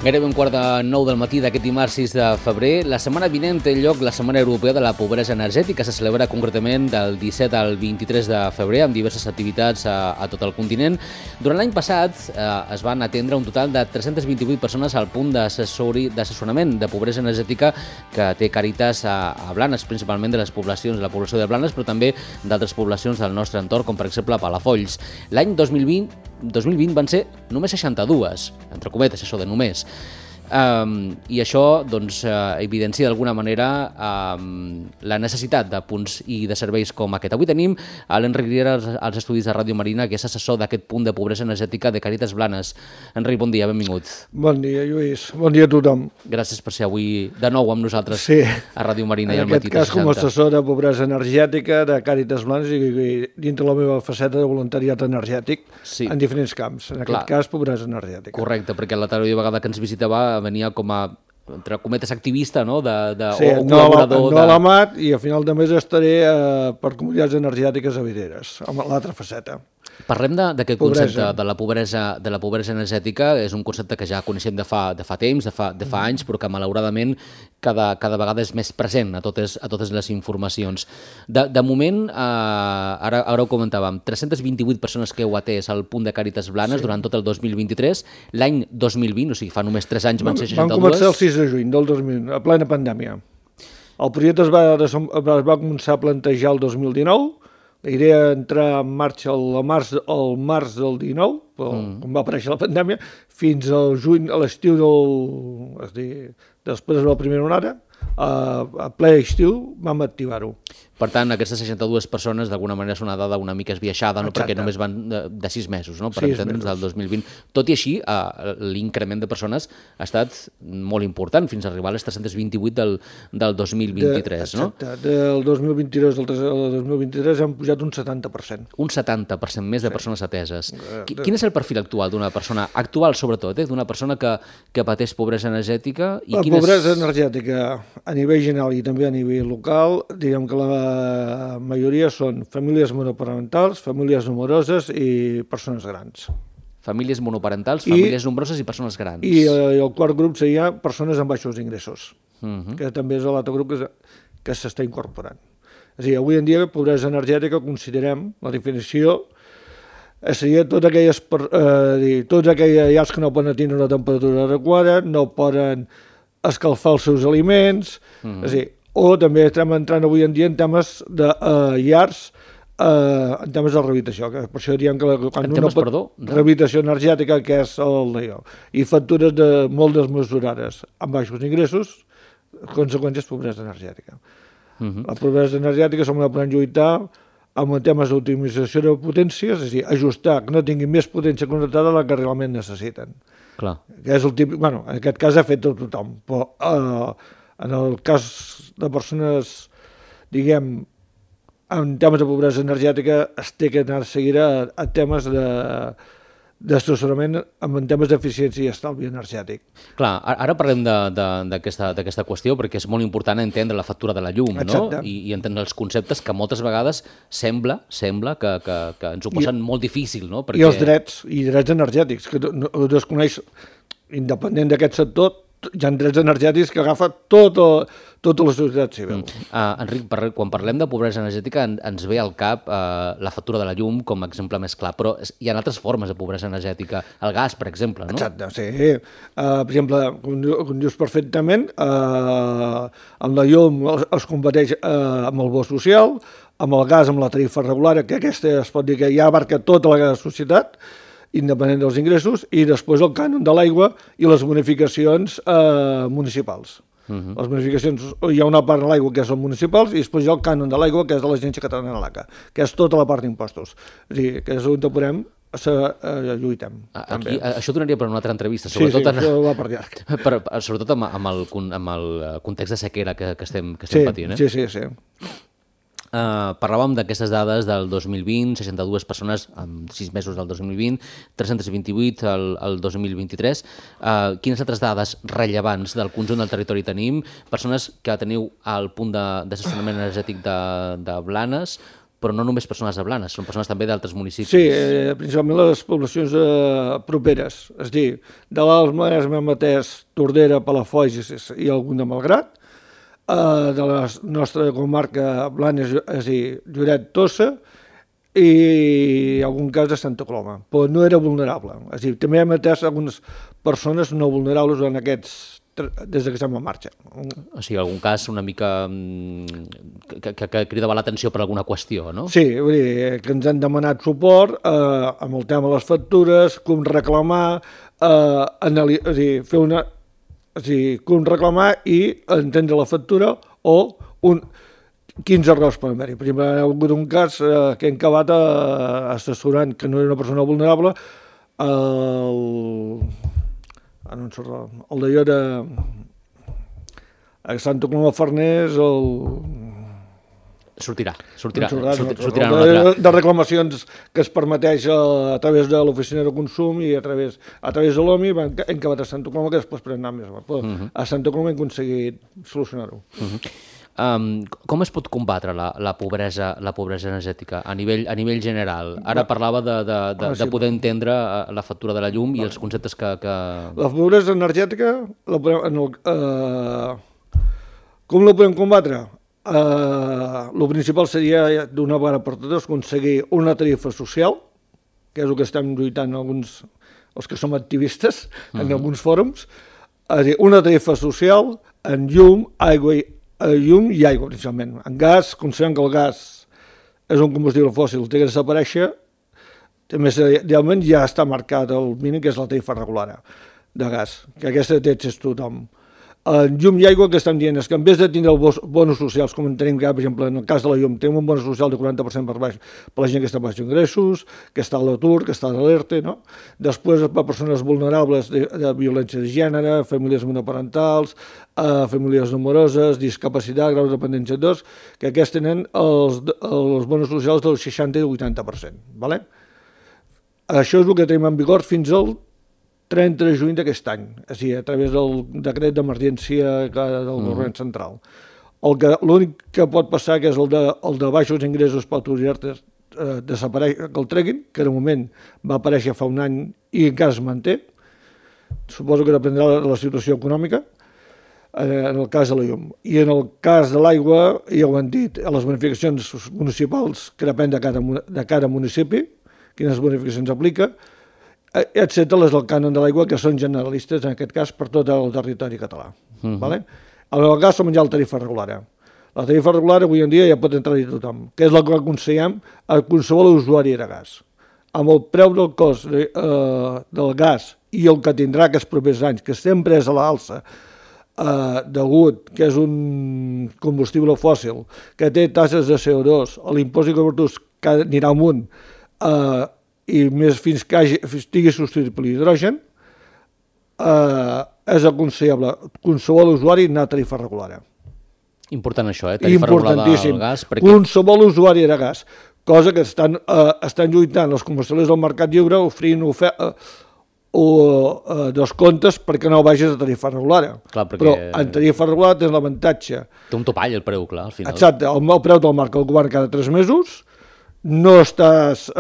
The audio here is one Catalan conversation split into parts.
Gairebé 8:45 del matí d'aquest dimarts 6 de febrer. La setmana vinent té lloc la Setmana Europea de la Pobresa Energètica. Se celebra concretament del 17 al 23 de febrer amb diverses activitats a tot el continent. Durant l'any passat es van atendre un total de 328 persones al punt d'assessorament de pobresa energètica que té Càritas a Blanes, principalment de la població de Blanes, però també d'altres poblacions del nostre entorn, com per exemple Palafolls. L'any 2020 van ser només 62, entre cometes, això de només. I això evidencia d'alguna manera la necessitat de punts i de serveis com aquest. Avui tenim l'Enric Riera als estudis de Ràdio Marina, que és assessor d'aquest punt de pobresa energètica de Càritas Blanes. Enric, bon dia, benvingut. Bon dia, Lluís. Bon dia a tothom. Gràcies per ser avui de nou amb nosaltres a Ràdio Marina i al En Matí aquest cas, 60. com a assessor de pobresa energètica de Càritas Blanes i dintre la meva faceta de voluntariat energètic en diferents camps. En aquest cas, pobresa energètica. Correcte, perquè l'altra vegada que ens visitava venia com a, entre cometes, activista, no? Sí, col·laborador. No a l'AMAT, i a final de mes estaré per comunitats energètiques a Videres, amb l'altra faceta. Parlem d'aquest concepte de la pobresa energètica. És un concepte que ja coneixem de fa temps, de fa anys, però que malauradament cada vegada és més present a totes les informacions. De moment, ara ho comentàvem, 328 persones que heu atès al punt de Càritas Blanes durant tot el 2023. L'any 2020, o sigui, fa només 3 anys, van ser 62. Van començar el 6 de juny del 2000, a plena pandèmia. El projecte es va començar a plantejar el 2019, la idea entrar en marxa al març del 19, quan va aparèixer la pandèmia, fins al juny, a l'estiu després de la primera onada, a ple estiu vam activar-ho. Per tant, aquestes 62 persones d'alguna manera és una dada una mica esbiaixada, no? Perquè només van de 6 mesos, no? Per entendre'ns, del 2020. Tot i així, l'increment de persones ha estat molt important, fins a arribar a les 328 del 2023, no? Exacte. Del 2022 al 2023 hem pujat un 70%. Un 70% més de persones ateses. Quin és el perfil actual d'una persona, sobretot, d'una persona que pateix pobresa energètica? La pobresa energètica a nivell general i també a nivell local, diguem que la majoria són famílies monoparentals, famílies nombroses i persones grans. Famílies monoparentals, famílies nombroses i persones grans. I el quart grup seria persones amb baixos ingressos, que també és l'altre grup que s'està incorporant. És a dir, avui en dia, pobresa energètica, considerem, la definició seria tots aquelles llars que no poden tenir una temperatura adequada, no poden escalfar els seus aliments, és a dir, o també estem entrant avui en dia en temes de llars, en temes de rehabilitació. Per això diem que quan rehabilitació energètica, que és i factures molt desmesurades amb baixos ingressos, conseqüències pobresa energètica. La pobresa energètica som la podem lluitar amb temes d'optimització de potències, és a dir, ajustar que no tinguin més potència connectada de la que realment necessiten. Clar. Que és el típic, en aquest cas ha fet tothom, però en el cas de persones, diguem, en temes de pobresa energètica es té que anar a seguir a temes d'assessorament en temes d'eficiència i estalvi energètic. Clar, ara parlem d'aquesta qüestió perquè és molt important entendre la factura de la llum, no? I entendre els conceptes que moltes vegades sembla que ens ho posen molt difícil, no? I els drets energètics, que ho desconeix, independent d'aquest sector, hi ha drets energètics que agafa tota la societat civil. Enric, quan parlem de pobresa energètica ens ve al cap la factura de la llum com a exemple més clar, però hi ha altres formes de pobresa energètica. El gas, per exemple, no? Exacte, sí. Per exemple, com dius perfectament, amb la llum es combateix amb el bo social, amb el gas, amb la tarifa regular, que aquesta es pot dir que ja abarca tota la societat, independent dels ingressos, i després el cànon de l'aigua i les bonificacions municipals. Les bonificacions, hi ha una part de l'aigua que són municipals i després hi ha el cànon de l'aigua que és de l'Agència Catalana de l'ACA, que és tota la part d'impostos. És a dir, que és on podem lluitem. Això donaria per una altra entrevista, sobretot això va per llarg. Sobretot amb el context de sequera que estem patint. Sí. Parlàvem d'aquestes dades del 2020, 62 persones en 6 mesos del 2020, 328 el 2023. Quines altres dades rellevants del conjunt del territori tenim? Persones que teniu al punt d'assessorament energètic de Blanes, Però no només persones de Blanes, són persones també d'altres municipis. Sí, principalment les poblacions properes, és a dir, de l'Alt Maresme, Matés, Tordera, Palafolls i algun de Malgrat, de la nostra comarca Blanes, és a dir, Lloret, Tossa, i algun cas de Santa Coloma, però no era vulnerable. És a dir, també hem atès algunes persones no vulnerables en aquests des que estem en marxa. O sigui, algun cas una mica que cridava l'atenció per alguna qüestió, no? Sí, vull dir, que ens han demanat suport amb el tema de les factures, com reclamar, és dir, fer una... És a dir, com reclamar i entendre la factura o quins errors poden haver-hi. Per exemple, hi ha hagut un cas que hem acabat assessorant que no era una persona vulnerable, el d'allò de a Santa Coloma Farners, Sortirà de reclamacions que es permeteix a través de l'oficina de consum i a través de l'OMI hem acabat a Santa Coloma, que després podem anar més. Però a Santa Coloma hem aconseguit solucionar-ho. Com es pot combatre la pobresa energètica a nivell general? Ara parlava de poder entendre la factura de la llum i els conceptes que... La pobresa energètica, com la podem combatre? El principal seria d'una vegada per totes aconseguir una tarifa social, que és el que estem lluitant els que som activistes en alguns fòrums, una tarifa social en llum, i aigua, principalment. En gas, considerem que el gas és un combustible fòssil, té que desaparèixer, més idealment ja està marcat el mínim, que és la tarifa regular de gas, que aquesta té accés tothom. En llum i aigua el que estem dient és que en vez de tindre els bonos socials, com en tenim que, per exemple, en el cas de la llum, tenim un bon social de 40% per la gent que està baix ingressos, que està a l'atur, que està a l'ERTE, no? Després per persones vulnerables de violència de gènere, famílies monoparentals, famílies nombroses, discapacitat, grau de dependència 2, que aquests tenen els bonos socials del 60 i el 80%. Vale? Això és el que tenim en vigor fins al 30 de juny d'aquest any, és a dir, a través del decret d'emergència del govern central. L'únic que pot passar, que és el de baixos ingressos per autoritats, desapareix, que el treguin, que de moment va aparèixer fa un any i encara es manté. Suposo que dependrà de la situació econòmica, en el cas de la llum. I en el cas de l'aigua, ja ho han dit, a les bonificacions municipals, que depèn de cada municipi, quines bonificacions aplica, excepte les del cànon de l'aigua, que són generalistes, en aquest cas, per tot el territori català. Vale? En el gas som ja la tarifa regular. La tarifa regular avui en dia ja pot entrar-hi tothom, que és la que aconsellem a qualsevol usuari de gas. Amb el preu del cost del gas i el que tindrà aquests propers anys, que sempre és a l'alça, degut que és un combustible fòssil, que té tasses de CO2, l'impost de carburants que anirà amunt, i més fins que estigui substituït per l'hidrogen, és aconsellable qualsevol usuari anar a tarifa regular. Important això, tarifa regular del gas. Qualsevol usuari de gas, cosa que estan lluitant els combustibles del mercat lliure oferint descomptes perquè no vagis a tarifa regular. Però en tarifa regular tens l'avantatge. Té un topall el preu, clar, al final. Exacte, el preu te'l marca el govern cada 3 mesos, no estàs...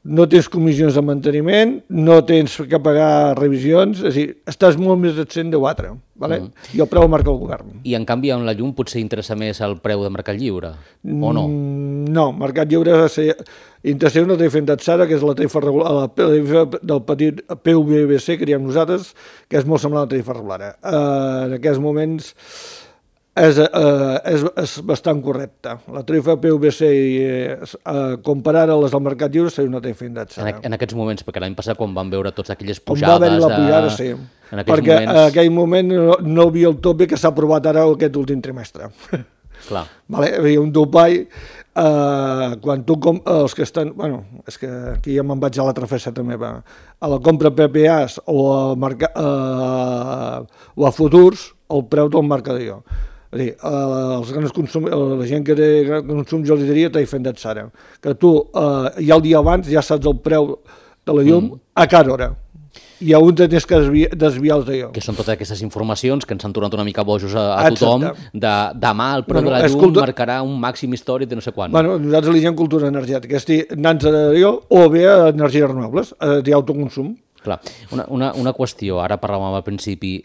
no tens comissions de manteniment, no tens que pagar revisions, és a dir, estàs molt més absent de 4, vale? I el preu el marca el govern. I en canvi en la llum potser interessa més el preu de Mercat Lliure, o no? No, Mercat Lliure interessa una tarifa indexada, que és la tarifa regular, la tarifa del petit PUBC que diem nosaltres, que és molt semblant a la tarifa regular. En aquests moments és bastant correcta. La tarifa PUBC comparada a les del Mercat Lliure seria una tarifa indexada. En aquests moments, perquè l'any passat quan van veure totes aquelles pujades... On va haver-hi la pujada, sí. Perquè en aquell moment no hi havia el tope que s'ha aprovat ara aquest últim trimestre. Clar. Hi havia un topall, quan tu... Els que estan... Bueno, és que aquí ja me'n vaig a l'altra faceta meva. A la compra PPAs o a futurs, el preu te'l marca jo. És a dir, la gent que té consum jo li diria tarifa indexada, que tu ja el dia abans ja saps el preu de la llum a cada hora. hi ha un que tens que desviar d'allò. Que són totes aquestes informacions que ens han tornat una mica bojos a tothom, demà el preu de la llum marcarà un màxim històric de no sé quant. Bueno, nosaltres li diem cultura energètica, és dir, anant-se d'allò o bé a energies renovables, d'autoconsum. Clar, una qüestió, ara parlàvem al principi,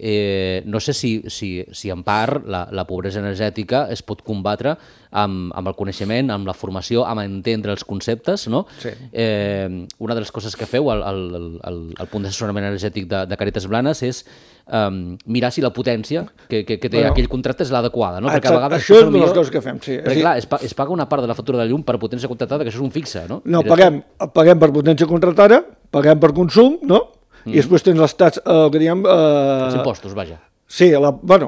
no sé si en part la pobresa energètica es pot combatre amb el coneixement, amb la formació, amb entendre els conceptes, no? Sí. Una de les coses que feu al punt d'assessorament energètic de Càritas Blanes és mirar si la potència que té aquell contracte és l'adequada, no? Perquè a vegades això és una de les coses que fem, sí. Perquè clar, es paga una part de la factura de llum per potència contractada, que això és un fixe, no? No, paguem per potència contractada, paguem per consum, no? I després tens les taxes, que diem... Els impostos, vaja. Sí, hi ha la part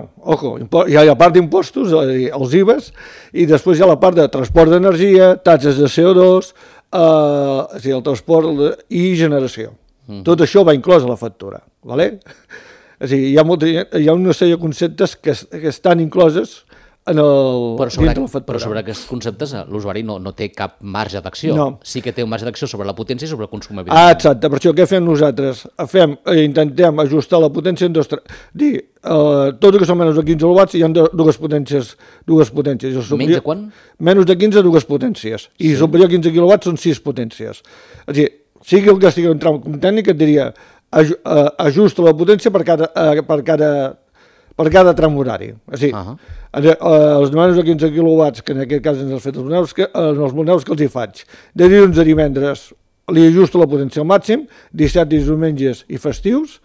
d'impostos, els IVAs, i després hi ha la part de transport d'energia, taxes de CO2, el transport i generació. Tot això va inclòs a la factura, ¿vale? És a dir, hi ha una sèrie de conceptes que estan incloses dintre la factura. Però sobre aquests conceptes l'usuari no té cap marge d'acció. No. Sí que té un marge d'acció sobre la potència i sobre el consum. Exacte, per això què fem nosaltres? Intentem ajustar la potència en tot el que són menys de 15 kW hi ha dues potències. Menys de quant? Menys de 15, dues potències. I superior a 15 kW són 6 potències. És a dir, sigui el que estigui en tram tècnic, et diria ajusta la potència per cada tram horari. És a dir, els de menys de 15 kW, que en aquest cas ens han fet els monedors que els hi faig, de dilluns a divendres li ajusto la potència al màxim, 17 diumenges i festius,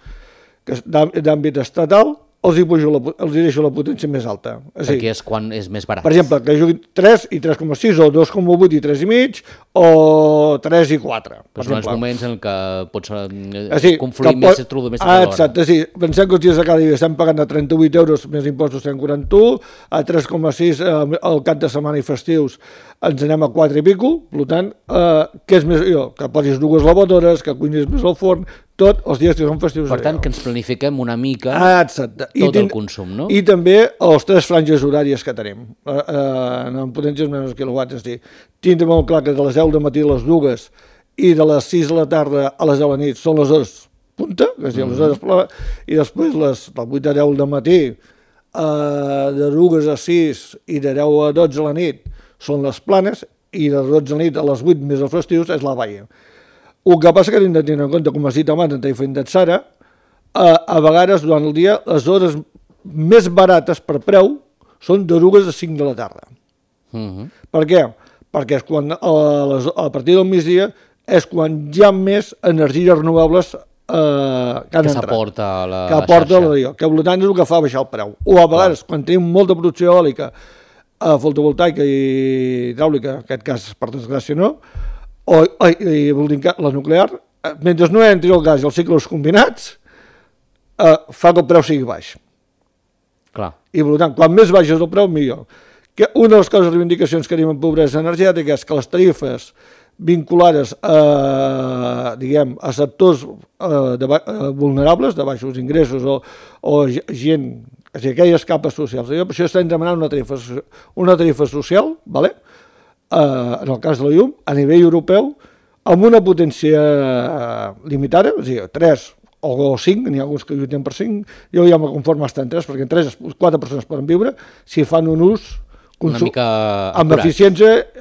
d'àmbit estatal, els hi deixo la potència més alta. Perquè és quan és més barat. Per exemple, que juguin 3 i 3,6, o 2,8 i 3,5, o 3 i 4. Però són els moments en què pots confluir més més exacte, sí. Pensem que els dies de cada dia estem pagant a 38 euros més impostos 141, a 3,6 al cap de setmana i festius ens anem a 4 i pico, per tant, què és més millor? Que posis dues lavadores, que cuinis més al forn, tot els dies que són festius. Per tant, que ens planifiquem una mica tot el consum, no? I també els 3 franges horàries que tenim, en potències menys quilowatts, és a dir, tindre molt clar que de les 10 del matí a les 2 i de les 6 de la tarda a les 10 de la nit són les hores punta, és a dir, les hores i després del 8 a 10 del matí, de 2 a 6 i de 10 a 12 a la nit són les planes, i de 12 a la nit a les 8 més els festius és la baia. El que passa que hem de tenir en compte, com has dit abans, en tarifa indexada, a vegades durant el dia les hores més barates per preu són de 2 a 5 de la tarda. Per què? Perquè és quan, a partir del migdia és quan hi ha més energies renovables que han entrat. S'aporta a la xarxa. Que per tant és el que fa baixar el preu. O a vegades, quan tenim molta producció eòlica, fotovoltaica i hidràulica, en aquest cas per desgràcia no, la nuclear, mentre no entri el gas i els cicles combinats, fa que el preu sigui baix. Clar. I per tant, quan més baix és el preu, millor. Una de les coses, reivindicacions que tenim en pobresa energètica és que les tarifes vinculades a sectors vulnerables, de baixos ingressos o gent, és a dir, aquelles capes socials. Per això estem demanant una tarifa social, ¿vale? En el cas de la llum, a nivell europeu, amb una potència limitada, és a dir, 3 o 5, n'hi ha alguns que lluiten per 5, jo ja me conformo estar en 3, perquè en 3 4 persones poden viure si fan un ús amb eficiència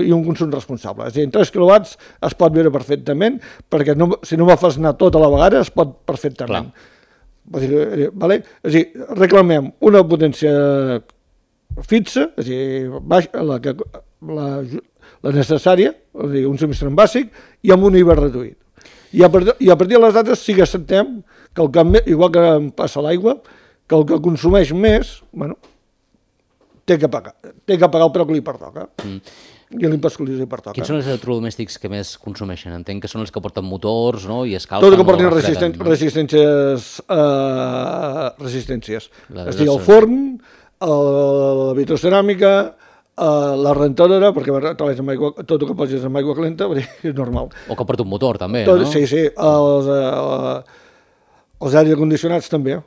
i un consum responsable. És a dir, en 3 quilowatts es pot viure perfectament, perquè si no me fas anar tot a la vegada es pot perfectament. És a dir, reclamem una potència fixa, és a dir, la necessària, és a dir, un subministrament bàsic, i amb un IVA reduït. I a partir de les dates sí que acceptem que igual que passa l'aigua, que el que consumeix més, té que pagar el preu que li pertoca. I l'impost que li pertoca. Quins són els electrodomèstics que més consumeixen? Entenc que són els que porten motors, no? I escalfen. Tot el que portin resistències. És a dir, el forn, la vitroceràmica, la rentadora, perquè tot el que posis amb aigua calenta és normal. O que porta un motor, també, no? Sí, els aires condicionats també.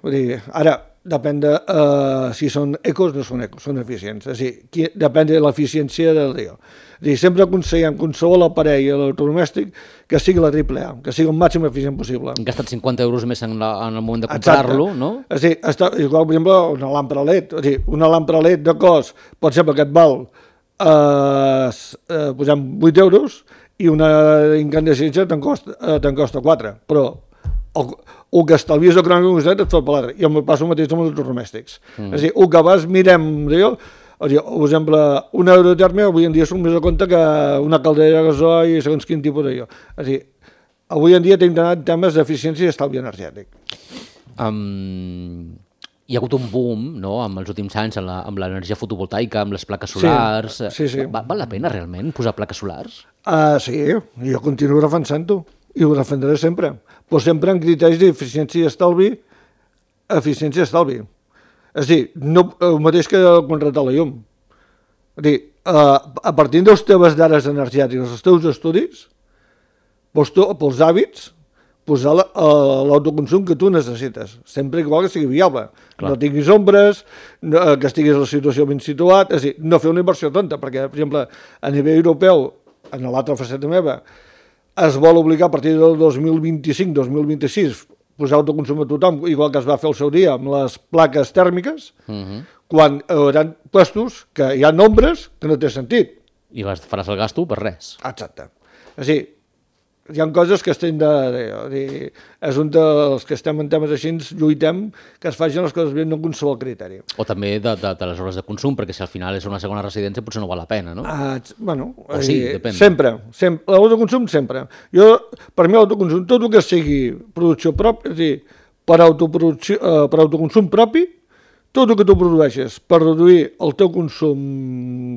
Ara, depèn de si són ecos o no són ecos, són eficients. És a dir, depèn de l'eficiència del dia. És a dir, sempre aconsellem qualsevol aparell electrodomèstic que sigui la AAA, que sigui el màxim eficient possible. Han gastat 50 euros més en el moment de comprar-lo, no? És a dir, igual, per exemple, una làmpara LED. És a dir, una làmpara LED de cost pot ser que et val posem 8 euros i una incandescència te'n costa 4, però el que estalvies econòmic et fa per l'altre. I em passa el mateix amb els electrodomèstics. És a dir, el que vas mirem, per exemple, un euro de terme avui en dia som més a compte que una caldera de gasoil i segons quin tipus d'allò. És a dir, avui en dia tenim d'anar en temes d'eficiència i estalvi energètic. Hi ha hagut un boom, no?, en els últims anys amb l'energia fotovoltaica, amb les plaques solars. Sí. Val la pena realment posar plaques solars? Sí, jo continuo defensant-ho i ho defendré sempre, però sempre amb criteris d'eficiència i estalvi, És a dir, no, el mateix que contractar la llum. És a dir, a partir de les teves dades energètiques, els teus estudis, pels hàbits, posar l'autoconsum que tu necessites, sempre igual que sigui viable. Clar. No tinguis ombres, que estiguis a la situació ben situat, és a dir, no fer una inversió tonta, perquè, per exemple, a nivell europeu, en l'altra faceta meva, es vol obligar a partir del 2025-2026 posar autoconsum a tothom, igual que es va fer el seu dia amb les plaques tèrmiques, quan hi haurà puestos que hi ha nombres que no té sentit. I faràs el gasto per res. Exacte. És a dir, hi ha coses que estem és un dels que estem en temes així, lluitem que es facin les coses bé, no amb qualsevol criteri. O també de les hores de consum, perquè si al final és una segona residència potser no val la pena, no? Bueno, o sí, depèn. Sempre. L'autoconsum sempre. Per mi l'autoconsum, tot el que sigui producció pròpia, és a dir, per autoconsum propi, tot el que tu produeixes per reduir el teu consum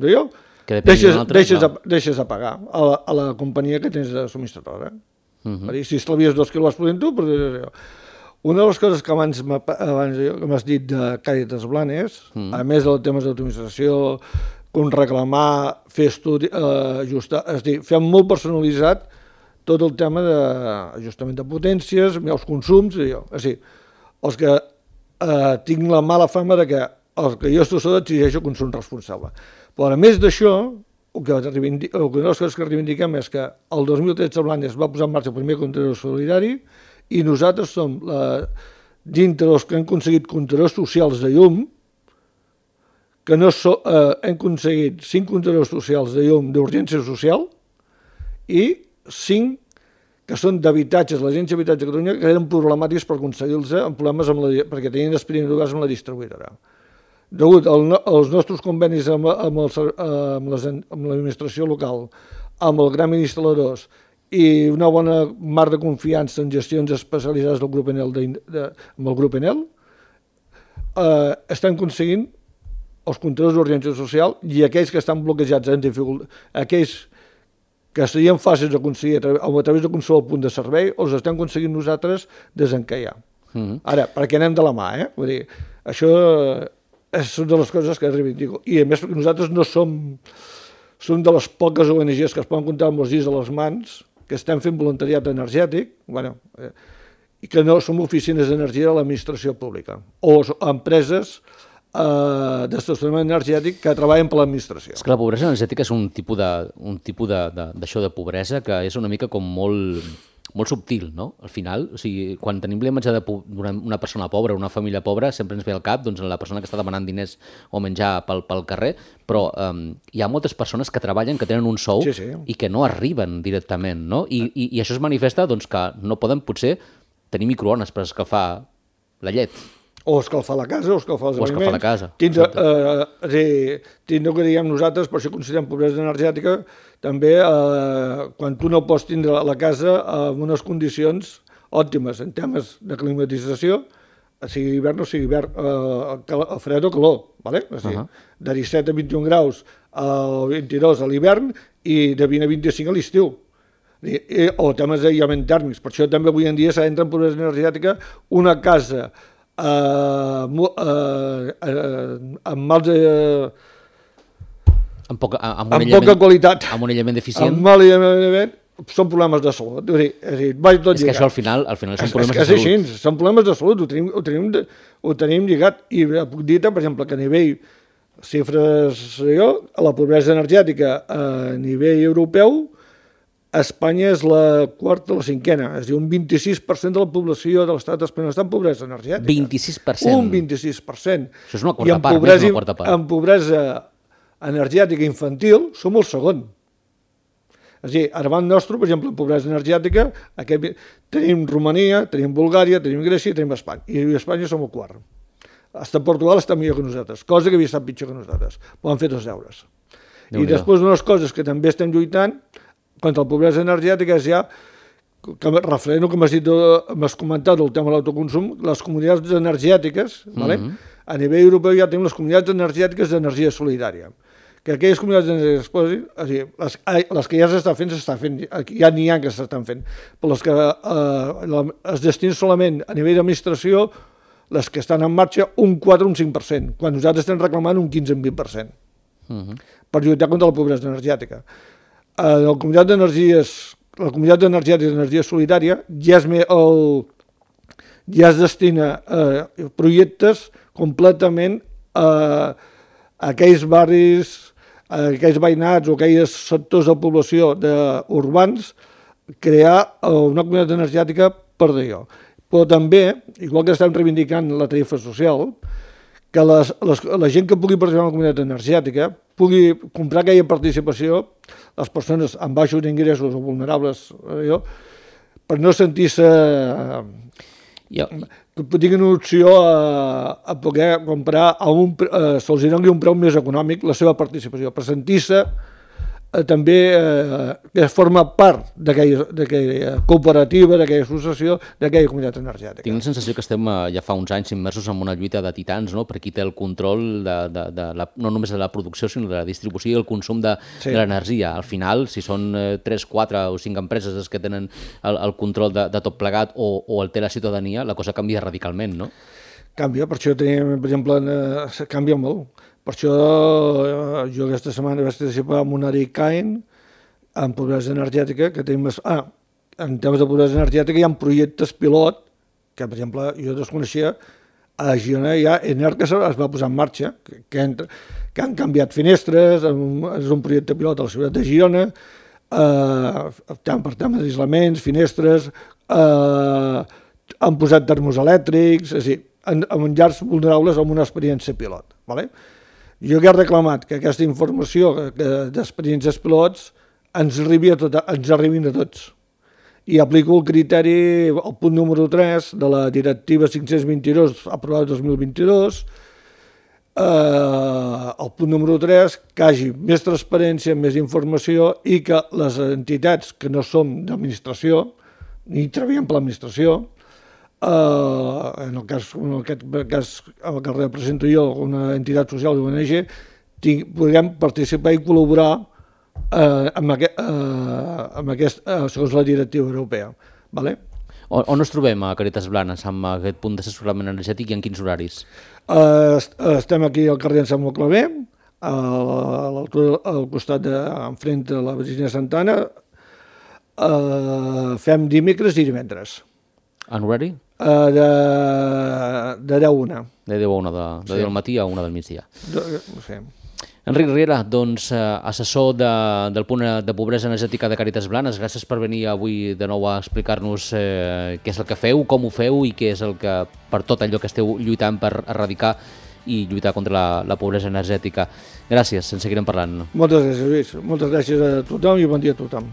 d'allò, deixes a pagar a la companyia que tens de subministradora. Si estalvies 2 quilos podent tu, una de les coses que abans m'has dit de Càritas Blanes, a més dels temes d'automatització, com reclamar, fer estudi, ajustar, és a dir, fer molt personalitzat tot el tema d'ajustament de potències, els consums, és a dir, els que tinc la mala fama de que els que jo estic sota exigeixo consum responsable. Però a més d'això, una de les coses que reivindiquem és que el 2013 Blanes va posar en marxa el primer comptador solidari i nosaltres som, dintre dels que han aconseguit comptadors socials de llum, que hem aconseguit 5 comptadors socials de llum d'urgència social i 5 que són d'habitatges, l'Agència d'Habitatge de Catalunya, que eren problemàtics per aconseguir-los amb problemes perquè tenien experients amb la distribuïdora. Degut als nostres convenis amb l'administració local, amb els grans instal·ladors i una bona marc de confiança en gestions especialitzades del grup Enel, amb el grup Enel, estan aconseguint els comptadors d'urgència social i aquells que estan bloquejats en dificultat, aquells que serien fàcils d'aconseguir a través de qualsevol punt de servei, els estem aconseguint nosaltres desencallar. Ara, perquè anem de la mà, vull dir, això és una de les coses que reivindico. I a més, perquè nosaltres no som de les poques ONGs que es poden comptar amb els dits a les mans, que estem fent voluntariat energètic, i que no som oficines d'energia de l'administració pública, o empreses d'estacionament energètic que treballen per l'administració. És que la pobresa energètica és un tipus d'això de pobresa que és una mica com molt subtil, no? Al final, o sigui, quan tenim la imatge d'una persona pobra, una família pobra, sempre ens ve al cap la persona que està demanant diners o menjar pel carrer, però hi ha moltes persones que treballen, que tenen un sou i que no arriben directament, no? I això es manifesta que no poden potser tenir microones per escalfar la llet. O escalfar la casa, o escalfar els aliments. O escalfar la casa. Tindre que diguem nosaltres, per això considerem pobresa energètica, també quan tu no pots tindre la casa en unes condicions òptimes en temes de climatització, sigui hivern o sigui hivern, fred o calor, de 17 a 21 graus al 22 a l'hivern i de 20 a 25 a l'estiu. O temes d'aïllament tèrmics. Per això també avui en dia s'entra en pobresa energètica una casa amb poca qualitat, amb un aïllament deficient, amb mal aïllament, són problemes de salut. És dir, vaig tot és que lligat. això al final són problemes de És salut. així, són problemes de salut, ho tenim lligat. I puc dir, per exemple, que a nivell xifres, la pobresa energètica a nivell europeu, Espanya és la quarta o la cinquena, és a dir, un 26% de la població de l'estat espanyol està en pobresa energètica. 26%? Un 26%. Això és una quarta part, més d'una quarta part. En pobresa energètica infantil som el segon. És a dir, davant nostre, per exemple, en pobresa energètica, tenim Romania, tenim Bulgària, tenim Grècia i tenim Espanya. I a Espanya som el quart. Hasta Portugal està millor que nosaltres, cosa que havia estat pitjor que nosaltres. Però han fet els deures. I després una de les coses que també estem lluitant contra la pobresa energètica és ja, referent al que m'has comentat del tema de l'autoconsum, les comunitats energètiques, a nivell europeu ja tenim les comunitats energètiques d'energia solidària, que aquelles comunitats energètiques, és a dir, les que ja s'estan fent, ja n'hi ha que s'estan fent, però les que es destinen solament a nivell d'administració, les que estan en marxa, un 4 o un 5%, quan nosaltres estem reclamant un 15 o un 20%, per lluitar contra la pobresa energètica. La comunitat energètica d'energia solidària ja es destina a projectes completament a aquells barris, a aquells veïnats o aquells sectors de població urbans, crear una comunitat energètica per d'allò. Però també, igual que estem reivindicant la tarifa social, que la gent que pugui participar en la comunitat energètica pugui comprar aquella participació, les persones amb baixos ingressos o vulnerables, per no sentir-se... que tinguin una opció a poder comprar, se'ls doni un preu més econòmic la seva participació, per sentir-se també que forma part d'aquella cooperativa, d'aquella associació, d'aquella comunitat energètica. Tinc la sensació que estem ja fa uns anys immersos en una lluita de titans, no? Per qui té el control no només de la producció, sinó de la distribució i el consum de l'energia. Al final, si són 3, 4 o 5 empreses les que tenen el control de tot plegat o el té la ciutadania, la cosa canvia radicalment, no? Canvia, per això tenim, per exemple, canvia molt. Per això jo aquesta setmana vaig participar en una ICAIN en pobresa energètica, que tenim... en temes de pobresa energètica hi ha projectes pilot, que per exemple jo desconeixia, a Girona hi ha Enerca es va posar en marxa, que han canviat finestres, és un projecte pilot a la ciutat de Girona, per temes d'aïslaments, finestres, han posat termos elèctrics, és a dir, en llars vulnerables amb una experiència pilot. Jo que he reclamat que aquesta informació d'experiències pilots ens arribin a tots. I aplico el criteri, el punt número 3 de la directiva 522 aprovada 2022, el punt número 3, que hi hagi més transparència, més informació i que les entitats que no som d'administració, ni treballem per l'administració, en aquest cas que represento jo, una entitat social d'ONG, podem participar i col·laborar segons la directiva europea. On ens trobem a Càritas Blanes amb aquest punt d'assessorament energètic i en quins horaris? Estem aquí al carrer Sant Claver, al costat enfront de la Virgínia Santana. Fem dimecres i divendres. En horari? De 10 a 1. De 10 a 1, de 10 al matí a 1 del migdia. Sí. Enric Riera, doncs, assessor del punt de pobresa energètica de Càritas Blanes, gràcies per venir avui de nou a explicar-nos què és el que feu, com ho feu i què és el que, per tot allò que esteu lluitant per erradicar i lluitar contra la pobresa energètica. Gràcies, en seguirem parlant. Moltes gràcies, Lluís. Moltes gràcies a tothom i bon dia a tothom.